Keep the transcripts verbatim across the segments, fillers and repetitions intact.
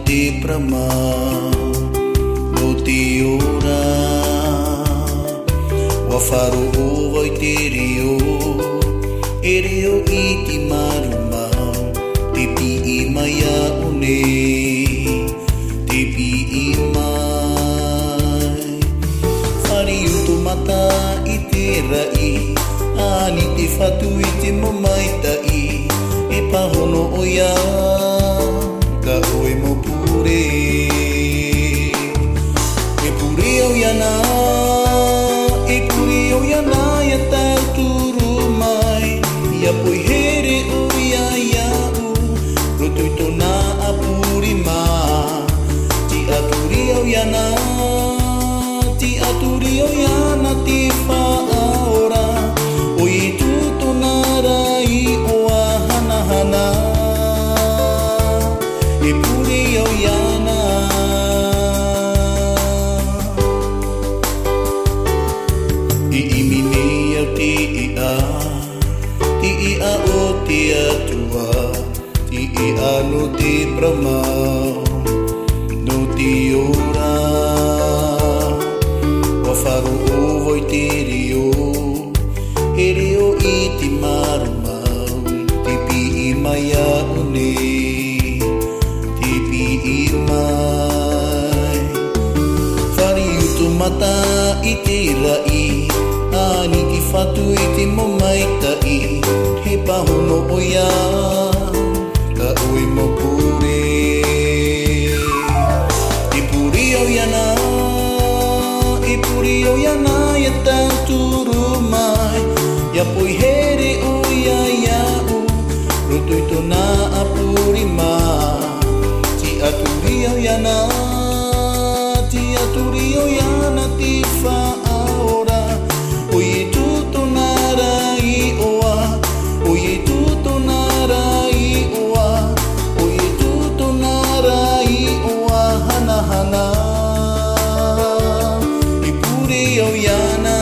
Te parau mau nō te ora. Ua faʻaroʻo vau i te reo, e reo iti marū mau, tē piʻi mai iāʻu nei, tē piʻi mai. Fāriu tō mata i te raʻi, ani te Fatu i te mau maitaʻi, e pāhono ʻoia, tā ʻoe mau pure. E pure au iāna, e pure au iāna, ʻia tauturu mai, ʻia poihere ʻoia iāʻu, roto i tōna ʻāpurima. Tiʻaturi au iāna, tiʻaturi au iāna te Faʻaora, ʻo Ietu tōna ra iʻoa hanahana, e pure au iāna. I ʻimi nei au te iʻa, te iʻa o te Atua, te iʻa nō te parau mau, nō te ora. Ua faʻaroʻo vau i te reo, e reo iti marū mau, tē piʻi mai iāʻu nei, tē piʻi mai. Fāriu tō mata i te raʻi, ani te Fatu i te mau maitaʻi, e pāhono ʻoia, tā ʻoe mau pure. E pure au iāna, e pure au iāna, ʻia tauturu mai, ʻia poihere ʻoia iāʻu, roto i tōna ʻāpurima. Tiʻaturi au iāna, tiʻaturi au iāna te Faʻaora, ʻo Ietu tōna ra iʻoa, ʻo Ietu tōna ra iʻoa, ʻo Ietu tōna ra iʻoa hanahana, e pure au iāna.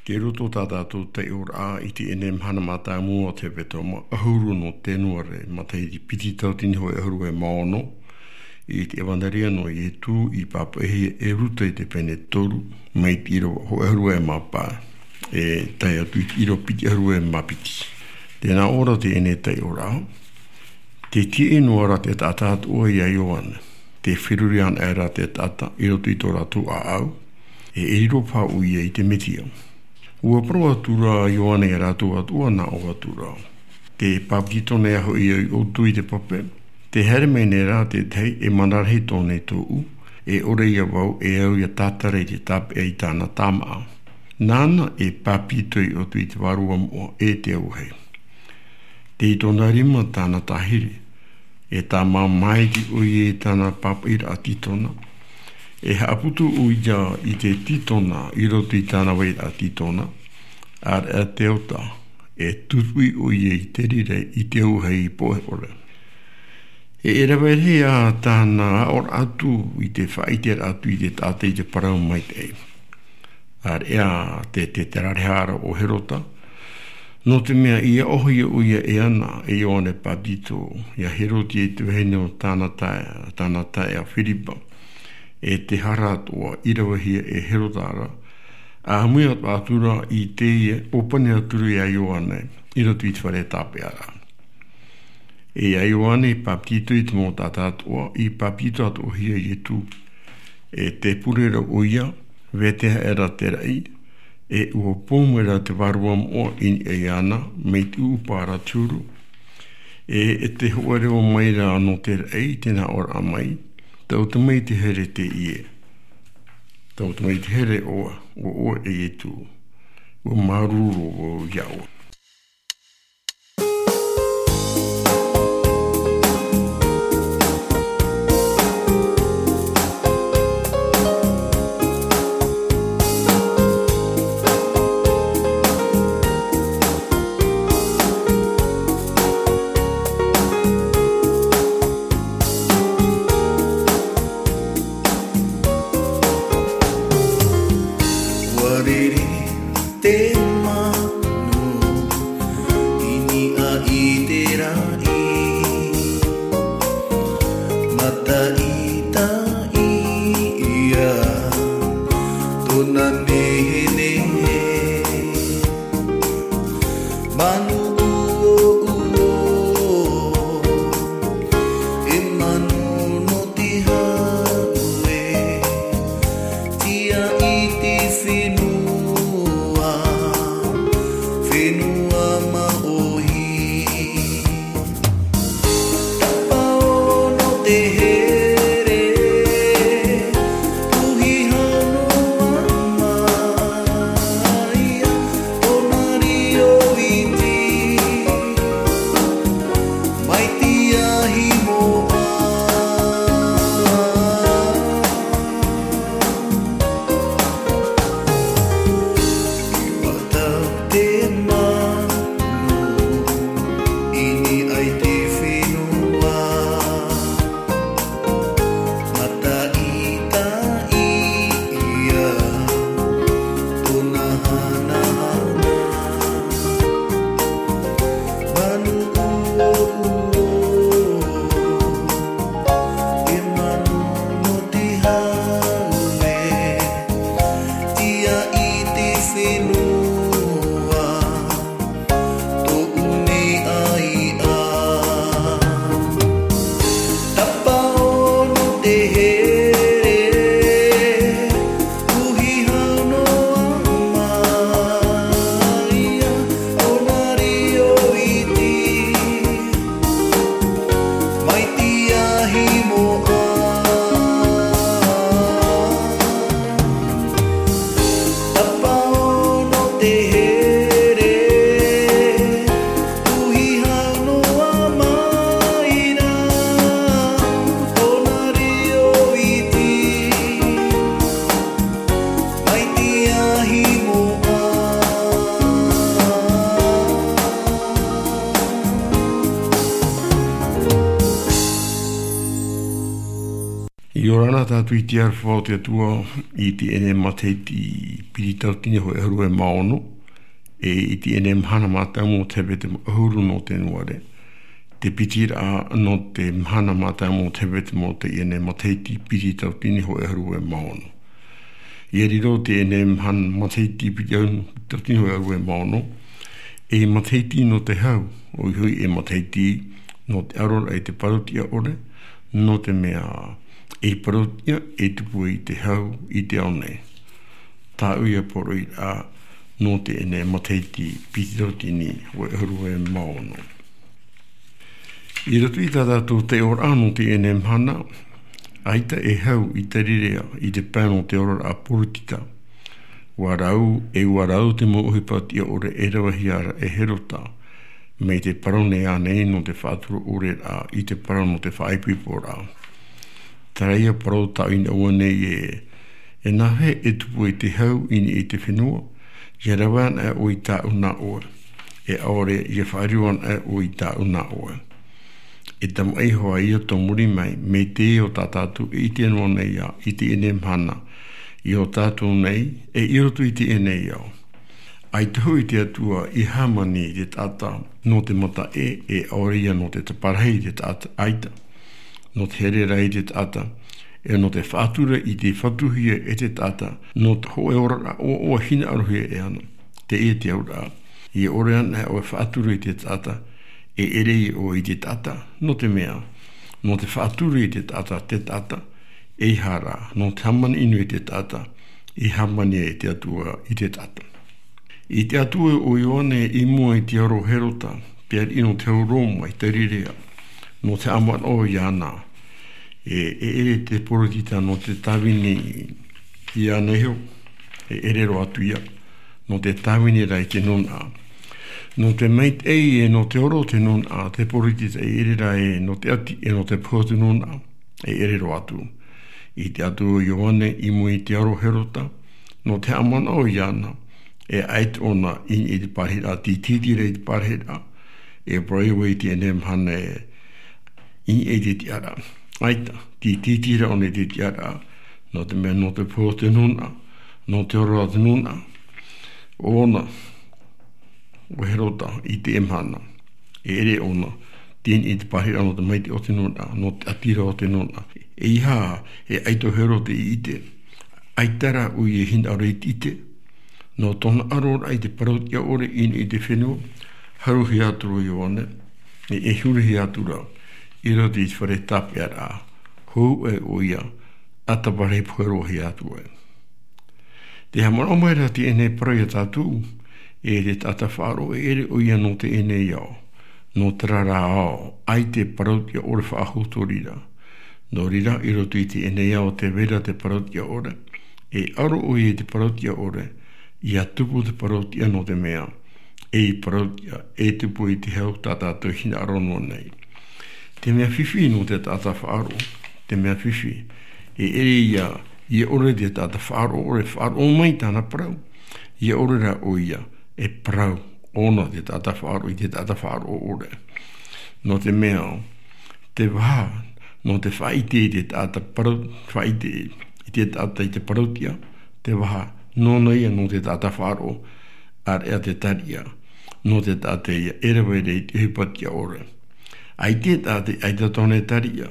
Tei roto tā tātou taiʻoraʻa i teie nei mahana mātāmua o te hepetoma ʻahuru nō Tenuare, matahiti piti tauatini hōʻē ʻahuru e mā ono, i te ʻEvaneria nō Ietu i pāpaʻihia e Ruta i te pene toru, mai te ʻīrava hōʻē ʻahuru e mā pae, e tae atu i te ʻīrava piti ʻahuru e mā piti. Tē nā ʻō ra teie nei taiʻoraʻa, tē tiaʻi noa ra te taʻata atoʻa ia Ioane, tē feruri anaʻe ra te taʻata i roto i tō rātou ʻāʻau, e, e riro paha ʻoia i te Mesia. Ua parau atu ra Ioane ia rātou atoʻa, nā ʻō atu ra, tē pāpetito nei hoʻi au iā ʻoutou i te pape, tē haere mai nei rā te tahi e mana rahi tō nei tōʻu, e ʻore ia vau e au ʻia tātara i te tāpeʻa i tāna tāmaʻa. Nāna e pāpetito iā ʻoutou i te Vārua Moʻa e te auahi. Tei tōna rima tāna tāhiri, e tāmā maitaʻi ʻoia i tāna pāpaʻiraʻa tītona, e haʻaputu ʻoia i te tītona i roto i tāna vairaʻa tītona, ʻāreʻa te ota, e tutuʻi ʻoia i te reira i te auahi i pohe ʻore. E, e rave rahi ā tāna aʻoraʻa atu i te faʻaʻiteraʻa atu i te taʻata i te parau maitaʻi. ʻĀreʻa te, te, te rarehara o Herota, nō te mea i aʻohia ʻoia e ana, e Ioane Pāpetito, ia Herotia i te vahine o tāna taeaʻe, tāna taeaʻe Firipa, e te hara atoʻa i ravehia e Herota ra, ʻāmui atoʻa atu ra i teie ʻōpani atu ra ia Ioane, i roto i te fare tāpeʻaraʻa. E ia Ioane i pāpetito i te mau taʻata atoʻa, i pāpetito atoʻahia Ietu, e tē pure ra ʻoia, vetahi aʻera te raʻi, e ʻua pō mai ra te Vārua Moʻa i niʻa iāna, mai te ʻūʻupa ra te huru. E, e te hōʻē reo mai ra nō te raʻi, tē nā ʻō ra mai, tau te maitaʻi here teie. Tau te maitaʻi here ʻoe, ʻo ʻoe e Ietu. ʻUa māuruuru vau iā ʻoe. Ua riri te manu Mataʻitaʻi ia tōna nehenehe. Manu uouo, e manu nō te hau e, tiʻa i te fenua, fenua māʻohi. Tapaʻo nō te here, puhi hau noa mai ia, tōna riro iti, mai te ahi moʻa. I matau te manu, i niʻa i te fenua. Mataʻitaʻi ia tōna hanahana. Manu uouo, e manu nō te hau e, tiʻa i te fenua, tōʻu nei ʻaiʻa. Tapaʻo nō te here, puhi hau noa mai ia, tōna riro iti, mai te ahi moʻa. Tapaʻo nō te here, puhi hau noa mai ia, tōna riro iti, mai te ahi moʻa. ʻIa ora na tātou i te aroha o te Atua i teie nei matahiti piti tauatini hōʻē ʻahuru e mā ono, e i teie nei mahana mātāmua o te hepetema ʻahuru nō Tenuare, te piti ra nō te mahana mātāmua o te hepetema o teie nei matahiti piti tauatini hōʻē ʻahuru e mā ono. ʻIa riro teie nei mahana matahiti piti tauatini hōʻē ʻahuru e mā ono, ei matahiti nō te hau, ʻoia hoʻi ei matahiti nō te ʻaroraʻa i te parau-tiʻa-ʻore, nō te mea ei parau-tiʻa e tupu i te hau i te ao nei. Tāʻu ia poroʻi ra nō teie nei matahiti piti tauatini hōʻē ʻahuru e mā ono. I roto i tā tātou taiʻoraʻa nō teie nei mahana, ʻaita e hau i Tarirea i te pae nō te oraraʻa Poritita. ʻUa rau, e ʻua rau te mau ʻohipa tiʻa-ʻore e ravehia ra e Herota, mai te parau nei ānei nō te faʻatura-ʻore ra i te parau nō te faʻaipoiporaʻa. Terā ia parau tāʻu i niʻa iāna nei ē, e nāhea e tupu ai te hau i niʻa i te fenua, ʻia rave anaʻe ʻoe i tāʻu nā ʻoe, e ʻaore ʻia faʻariro anaʻe ʻoe i tāʻu nā ʻoe. E tamaʻi hoʻi ia tō muri mai, mai te ao tā tātou e ʻite noa nei ā, i teie nei mahana, i ō tātou nei, e i roto i teie nei ao. ʻAita hoʻi te Atua i hāmani i te taʻata nō te mataʻe, e ʻaore ia nō te taparahi i te taʻata, ʻaita nō te here ra i te taʻata, e nō te faʻatura i te fatuhia e te taʻata, nō te hōʻē oraraʻa ʻoaʻoa hinaʻarohia e ʻana. Teie te auraʻa, ʻia ʻore anaʻe ʻoe e faʻatura i te taʻata, e ʻere ïa ʻoe i te taʻata, nō te mea, nō te faʻatura i te taʻata, te taʻata, ʻeiaha rā, nō te hāmani ʻino i te taʻata, e hāmani ai te Atua i te taʻata. I te Atua o Ioane i mua i te aro o Herota, te ariʻi nō te hau Roma i Tarirea, nō te haʻamanaʻo iāna, e, e ʻere te Poritita nō te tāvini iāna iho, e ʻere roa atu ïa, nō te tāvini ra i te nūnaʻa. Nō te maitaʻi e nō te ora o te nūnaʻa, te Poritita e ʻere ra ē nō te ʻati, e nō te pohe o te nūnaʻa, e ʻere roa atu. I te Atua o Ioane i mua i te aro o Herota, nō te haʻamanaʻo iāna, e ʻaita ʻōna i niʻa i te parahiraʻa, tītītī ra i te parahiraʻa, e parau ïa vau i teie nei mahana ē, i niʻa i te tiʻaraʻa. ʻAita, tītītī ra ʻōna i te tiʻaraʻa, nō te mea nō te pohe o te nūnaʻa, nō te ora o te nūnaʻa, ʻōna, ʻo Herota, i teie mahana. E ʻere ʻōna, tini i te parahiraʻa nō te maitaʻi o te nūnaʻa, nō te ʻatiraʻa o te nūnaʻa. E ʻeiaha, e ʻaito Herota i ʻite. ʻAita rā ʻoia e hinaʻaro i te ʻite. Nō tōna ʻaroraʻa i te parau-tiʻa-ʻore i niʻa i te fenua, haruhia atu ra Ioane, e, e hurihia atu ra, i roto i te fare tāpeʻaraʻa, hou ʻoia, ʻa te parau e pohe roa hia atu ai. Te haʻamanaʻo mai ra teie nei parau ia tātou, e te taʻata faʻaroʻo e ʻere ʻoia nō teie nei ao, nō terā rā ao, ʻaita e parau-tiʻa-ʻore faʻahou tō reira. Nō reira, i roto i teie nei ao tē vai ra te parau-tiʻa-ʻore, e aro ʻoia i te parau-tiʻa-ʻore, ʻia tupu te parau-tiʻa nō te mea, e parau-tiʻa, e tupu i te hau tā tātou hinaʻaro noa nei. Te mea fifi nō te taʻata faʻaroʻo, te mea fifi, e ʻere ia, ʻia ʻore te taʻata faʻaroʻo-ʻore, faʻaroʻo mai tāna parau, ʻia ʻore rā ʻoia, e parau, ʻōna te taʻata faʻaroʻo, i te taʻata faʻaroʻo-ʻore. Nō te mea, te vaha, nō te faʻaʻite i te taʻata parau, faʻaʻite i te taʻata i te parau-tiʻa, te vaha, nōna ia nō te taʻata faʻaroʻo, ʻāreʻa te tariʻa, nō te taʻata ia, e rave ra i te ʻohipa-tiʻa-ʻore. ʻAita e taʻata, ʻaita tōna e tariʻa,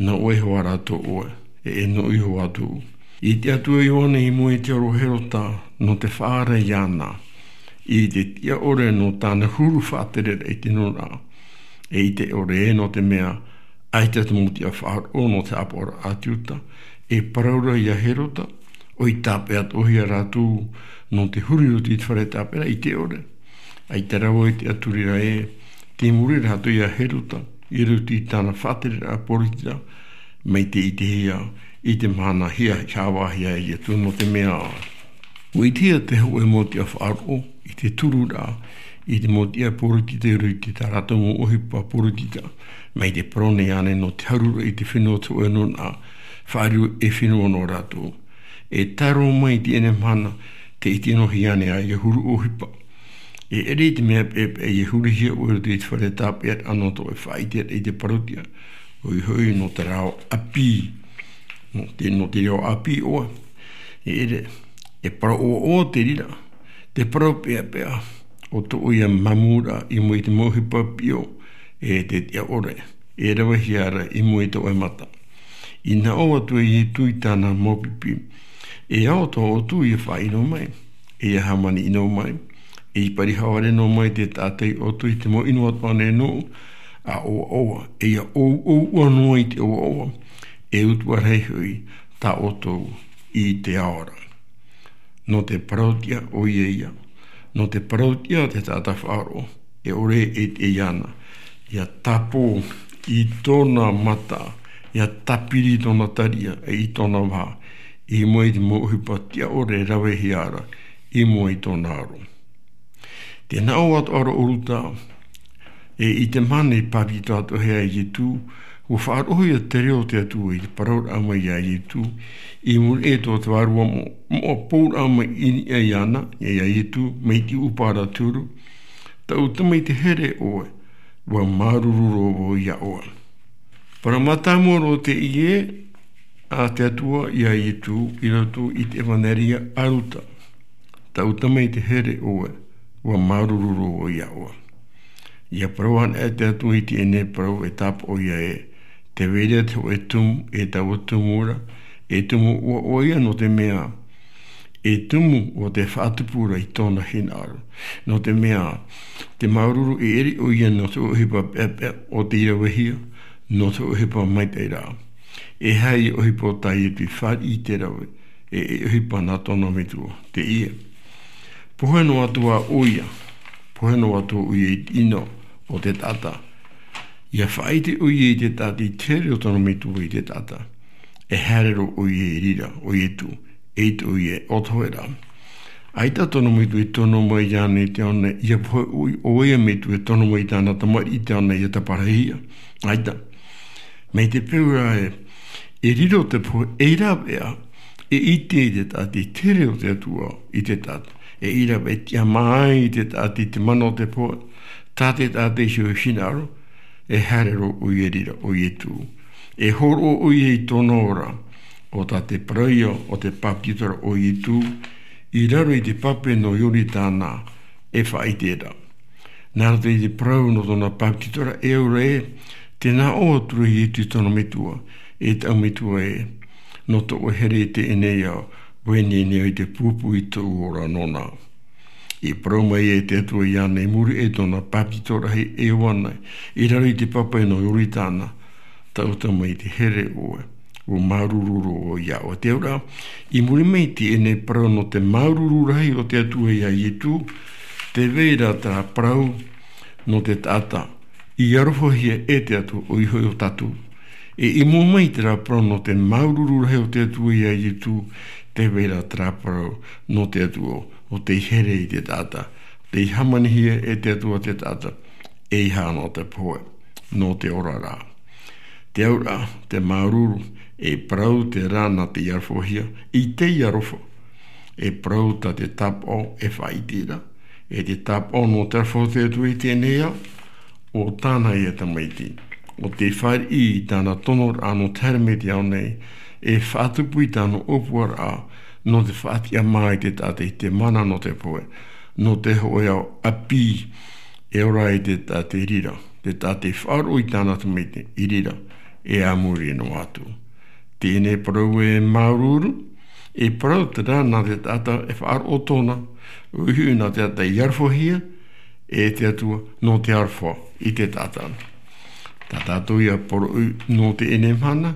nō ʻoe iho ā rā tō ʻoe, e, e nō ʻoe iho ā tōʻu. I te Atua Ioane i mua i te aro o Herota, nō te faʻaara iāna, i te tiʻa-ʻore nō tāna huru faʻatereraʻa i te nūnaʻa. E ʻite ʻore ē nō te mea, ʻaita te mau tiʻa faʻaroʻo nō te haʻapaʻoraʻa a te Iuta, e parau ra ia Herota, ʻoi tāpeʻa atoʻa hia rātou, nō te huru i roto i te fare tāpeʻaraʻa, ʻite ʻore. ʻAita rā vau i te ʻaturi ra ē, tei muri rā atoʻa ia Herota, i roto i tāna faʻatereraʻa poritita, mai te ʻitehia, i te mahana hia, haʻavāhia e Ietu nō te mea. ʻUa ʻitehia te hōʻē mau tiʻa faʻaroʻo, i te tururaʻa, i te mau tiʻa poritita i roto i tā rātou mau ʻohipa poritita, mai te parau nei ānei nō te haruraʻa i te fenua o te hōʻē nūnaʻa, faʻariro e fenua nō rātou. E tae roa mai i teie nei mahana, tē ʻite noa hia ānei ʻoia huru ʻohipa. E ʻere i te mea peʻapeʻa ʻia hurihia ʻoe i roto i te fare tāpeʻaraʻa nō tō ʻoe faʻaʻiteraʻa i te parau-tiʻa, ʻoia hoʻi nō terā ao ʻāpī, nō te, nō te reo ʻāpī ʻoe. E ʻere, e parau ʻoaʻoa te reira, te parau peʻapeʻa, ʻo tō ʻoia māmūraʻa i mua i te mau ʻohipa piʻo, e te tiʻa-ʻore, e ravehia ra i mua i tō ʻoe mata. I nā ʻō atu e Ietu i tāna mau pipi, e ao tō ʻoutou ʻia faʻaʻino mai, e ʻia hāmani ʻino mai, e ʻia parihāore noa mai te taʻata ia ʻoutou i te mau ʻino atoʻa nei nōʻu, ʻa ʻoaʻoa, e ʻia ʻouʻou ʻua noa i te ʻoaʻoa, e utuʻa rahi hoʻi tā ʻoutou i te ao ra. Nō te parau-tiʻa ʻoia ia, nō te parau-tiʻa te taʻata faʻaroʻo, e ʻore e ʻite iāna, ʻia tāpō i tōna mata, ʻia tāpiri i tōna tariʻa, e i tōna vaha, i mua i te mau ʻohipa tiʻa-ʻore e ravehia ra, i mua i tōna aro. Tē nā ʻō atoʻa ra ʻo Ruta, e i te mahana i bāpetizo atoʻa hia e Ietu, ʻua faʻaroʻohia te reo o te Atua i te parauraʻa mai ia Ietu, i muri aʻe i tō te vārua mo-, moʻa pouraʻa mai i niʻa iāna, ia Ietu, mai te ʻūpaʻa ra te huru, Taʻu tamaiti here ʻoe, ʻua māuruuru roa vau ia ʻoe. Parau mātāmua roa teie a te Atua ia Ietu i roto i te ʻEvaneria a Ruta. Taʻu tamaiti here ʻoe, ʻua māuruuru roa vau ia ʻoe. ʻIa parau anaʻe te Atua i teie nei parau e tāpaʻo ia ē, tē vai ra te hōʻē tumu, e taua tumu ra, e tumu ʻoaʻoa ia nō te mea, e tumu ʻo te faʻatupu ra i tōna hinaʻaro. Nō te mea, te māuruuru e ʻere ʻoia nō te ʻohipa peʻapeʻa ʻo tei ravehia, nō te ʻohipa maitaʻi ra. E aha ia ʻohipa o tā Ietu i fāriʻi i te rave, e, e ʻohipa nā tōna metua, teie. Pohe noa atu ā ʻoia, pohe noa atu ʻoia i te ʻino o te taʻata. ʻIa faʻaʻite ʻoia i te taʻata i te here o tōna metua i te taʻata. E haere roa ʻoia i reira, ʻo Ietu, e ʻite ʻoia ē ʻo te hōʻē ra. ʻAita tōna metua e tono mai iāna i te ao nei, ʻia pohe ʻoia, ʻoia metua e tono mai i tāna tamariʻi i te ao nei ʻia taparahi ia. ʻAita. Mai te peu ra ē, e riro te pohe, e rave ā, e ʻite i te taʻata i te here o te Atua i te taʻata. E rave ā, e tiʻamā ai i te taʻata i te mana o te pohe, tā te taʻata iho i hinaʻaro, e haere roa ʻoia i reira, ʻo Ietu. E hōroʻa ʻoia i tōna ora, ʻo tā te parau ia o te bāpetizo ra ʻo Ietu, i raro i te pape nō Ioritana, e faʻaʻite ra. Nā roto i te parau nō tōna pāpetitoraʻa e aura ē, tē nā ʻō atu ra Ietu i tōna metua, e taʻu metua ē, nō tō ʻoe here i teie nei ao, ʻua nehenehe i te pūpū i tōʻu ora nōna. I parau mai e te Atua iāna i muri i tōna pāpetitoraʻa e Ioana, i raro i te pape nō Ioritana, taʻuta mai te here ʻoe, ʻua māuruuru roa iā ʻoe. Te aura, i muri mai i teie nei parau nō te māuruuru rahi o te Atua iā Ietu, tē vai ra terā parau nō te taʻata i arohahia e te Atua, ʻoia hoʻi ʻo tātou. E i mua mai terā parau nō te māuruuru rahi o te Atua iā Ietu, tē vai ra terā parau nō te Atua, ʻo tei here i te taʻata, tei hāmanihia e te Atua te taʻata, ʻeiaha nō te pohe, nō te ora ra. Te aura, te māuruuru, e parau terā nā te arohahia, i te aroha. E parau tā te tāpaʻo e faʻaʻite ra, e te tāpaʻo nō te aroha o te Atua i teie nei ao, ʻo tāna ia tamaiti. ʻO tei fāriʻi i tāna tonoraʻa nō te haere mai i te ao nei, e faʻatupu i tāna ʻōpuaraʻa nō te faʻatiʻa mā i te taʻata i te mana nō te pohe, nō te hōʻē ao ʻāpī, e ora ai te taʻata i reira, te taʻata i faʻaroʻo i tāna tamaiti i reira, e a muri noa atu. Teie nei parau e māuruuru, e parau terā nā te taʻata e faʻaroʻo tōna, ʻoia hoʻi nā te taʻata i arohahia e te Atua nō te aroha i te taʻata. Tā tātou ia poroʻi nō teie nei mahana,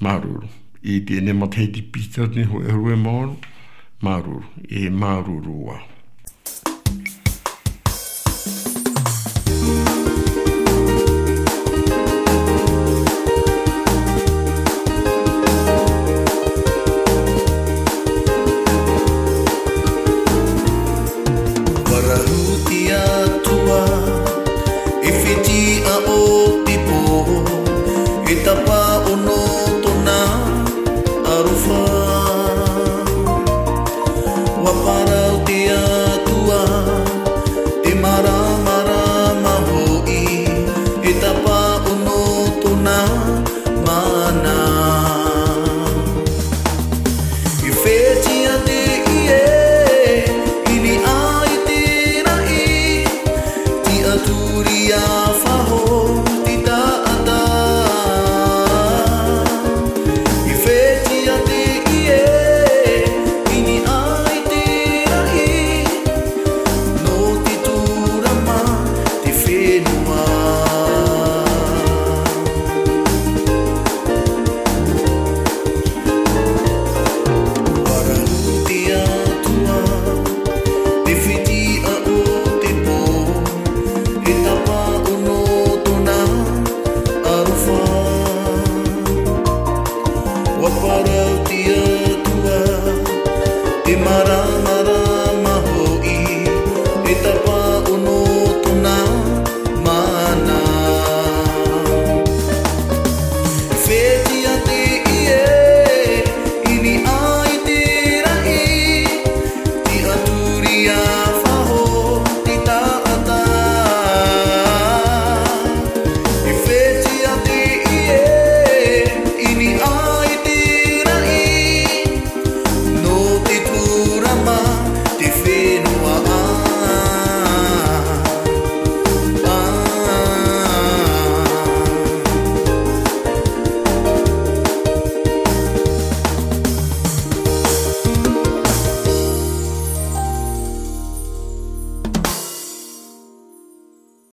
māuruuru. I teie nei matahiti piti atu nei hōʻē ʻahuru e ono, māuruuru, e māuruuru ā. Parahu te Atua, e fetiʻa o te pō, e tāpaʻo nō tōna aroha. ʻUa parau te Atua, te māramarama hoʻi, e tāpaʻo nō tōna mana. E fetiʻa te ʻie, i niʻa i te raʻi, tiʻaturi ā faʻahou,